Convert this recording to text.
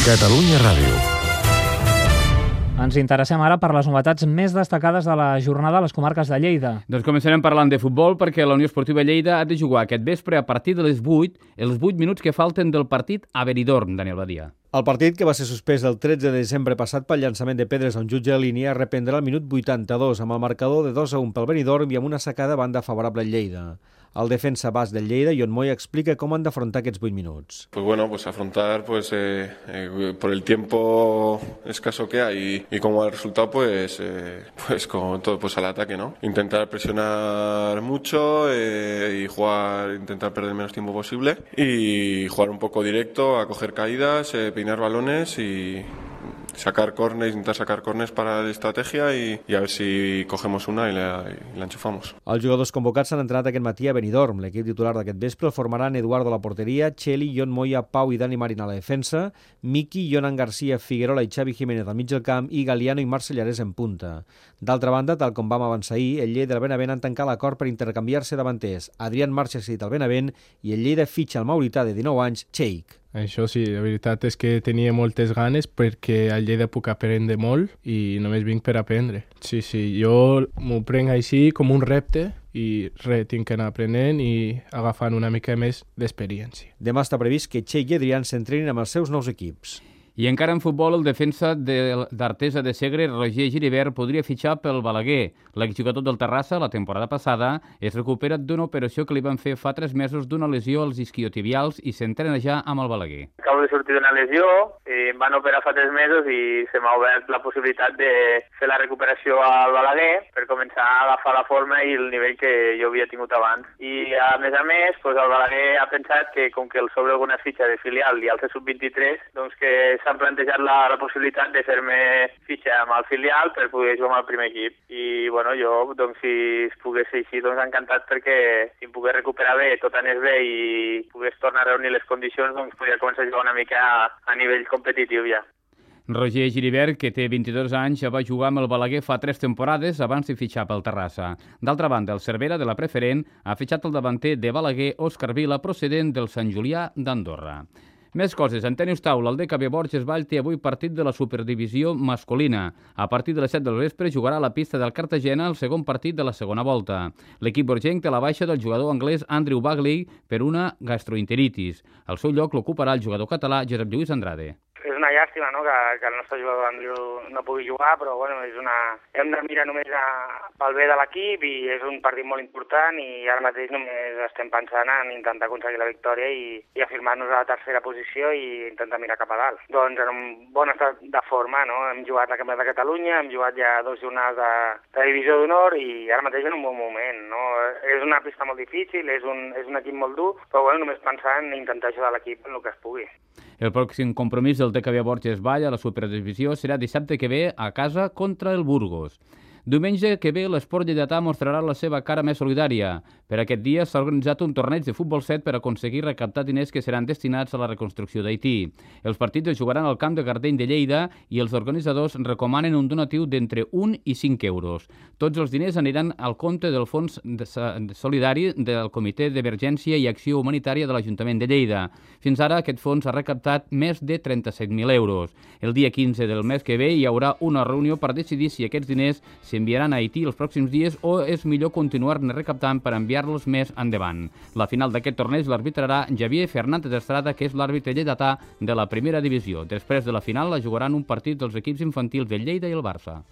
Catalunya Ràdio. Ens interessem ara per les novetats més destacades de la jornada a les comarques de Lleida. Doncs començarem parlant de futbol perquè la Unió Esportiva Lleida ha de jugar aquest vespre a partir de les 8, els 8 minuts que falten del partit a Benidorm, Daniel Badia. El partit, que va ser suspès el 13 de desembre passat pel llançament de pedres a un jutge de línia, reprendrà al minut 82 amb el marcador de 2-1 pel Benidorm i amb una sacada banda favorable al Lleida. El defensa bas del Lleida, Ion Moya, explica com han d'afrontar aquests 8 minuts. Afrontar por el tiempo escaso que hay y como el resultado con todo al ataque, ¿no? Intentar presionar mucho y intentar perder el menos tiempo posible y jugar un poco directo, a coger caídas, peinar balones y intentar sacar córners para la estrategia y a ver si cogemos una y la enchufamos. Els jugadors convocats s'han entrenat aquest matí a Benidorm. L'equip titular d'aquest vespre el formaran Eduardo a la porteria, Cheli, Ion Moya, Pau i Dani Marín a la defensa, Miki, Jonan García, Figuerola i Xavi Jiménez al mig del camp i Galiano i Marcellares en punta. D'altra banda, tal com vam avançar ahir, el Lleida i el Benavent han tancat l'acord per intercanviar-se davanters. Adrián Marcha cedit al Benavent i el Lleida fitxa el maurità de 19 anys, Cheik. Això sí, la veritat és que tenia moltes ganes perquè al Lleida puc aprendre molt i només vinc per aprendre. Sí, jo m'ho prenc així com un repte i tinc que anar aprenent i agafant una mica més d'experiència. Demà està previst que Cheik i Adrián s'entrenin amb els seus nous equips. I encara en futbol, el defensa d'Artesa de Segre, Roger Giribert, podria fitxar pel Balaguer. L'exjugador del Terrassa, la temporada passada, es recupera d'una operació que li van fer fa 3 mesos d'una lesió als isquiotibials i s'entrena ja amb el Balaguer. Acabo de sortir d'una lesió, em van operar fa 3 mesos i se m'ha obert la possibilitat de fer la recuperació al Balaguer per començar a agafar la forma i el nivell que jo havia tingut abans. I a més, el Balaguer ha pensat que com que el sobre alguna fitxa de filial i al sub-23, doncs que s'han plantejat la possibilitat de fer-me fitxa amb el filial per poder jugar amb el primer equip. I jo, si es pogués ser així, encantat perquè si em pogués recuperar bé, tot anés bé i pogués tornar a reunir les condicions, podria començar a jugar una mica a nivell competitiu ja. Roger Giribert, que té 22 anys, ja va jugar amb el Balaguer fa 3 temporades abans de fitxar pel Terrassa. D'altra banda, el Cervera, de la preferent, ha fitxat el davanter de Balaguer, Òscar Vila, procedent del Sant Julià d'Andorra. Més coses. En tenis taula, el DKB Borges Vall té avui partit de la Superdivisió masculina. A partir de les 7 del vespre jugarà a la pista del Cartagena el segon partit de la segona volta. L'equip borgenc té la baixa del jugador anglès Andrew Bagley per una gastroenteritis. El seu lloc l'ocuparà el jugador català Josep Lluís Andrade. És una llàstima, no?, que el nostre jugador Andrew no pugui jugar, però hem de mirar només pel bé de l'equip i és un partit molt important i ara mateix només estem pensant en intentar aconseguir la victòria i afirmar-nos a la tercera posició i intentar mirar cap a dalt. Doncs en un bon estat de forma, no? Hem jugat la Campionat de Catalunya, hem jugat ja 2 jornades de Divisió d'Honor i ara mateix en un bon moment, no? És una pista molt difícil, és un equip molt dur, però només pensar en intentar ajudar l'equip en el que es pugui. El pròxim compromís del DKB Borges Vall a la Superdivisió serà dissabte que ve a casa contra el Burgos. Diumenge que ve l'Esport Lleidatà mostrarà la seva cara més solidària. Per aquest dia s'ha organitzat un torneig de futbol 7 per aconseguir recaptar diners que seran destinats a la reconstrucció d'Haití. Els partits es jugaran al camp de Gardeny de Lleida i els organitzadors recomanen un donatiu d'entre 1 i 5 euros. Tots els diners aniran al compte del Fons Solidari del Comitè d'Emergència i Acció Humanitària de l'Ajuntament de Lleida. Fins ara aquest fons ha recaptat més de 37.000 euros. El dia 15 del mes que ve hi haurà una reunió per decidir si aquests diners s'enviaran a Haití els pròxims dies o és millor continuar-ne recaptant per enviar-los més endavant. La final d'aquest torneig l'arbitrarà Javier Fernández Estrada, que és l'àrbitre lleidatà de la primera divisió. Després de la final la jugaran un partit dels equips infantils del Lleida i el Barça.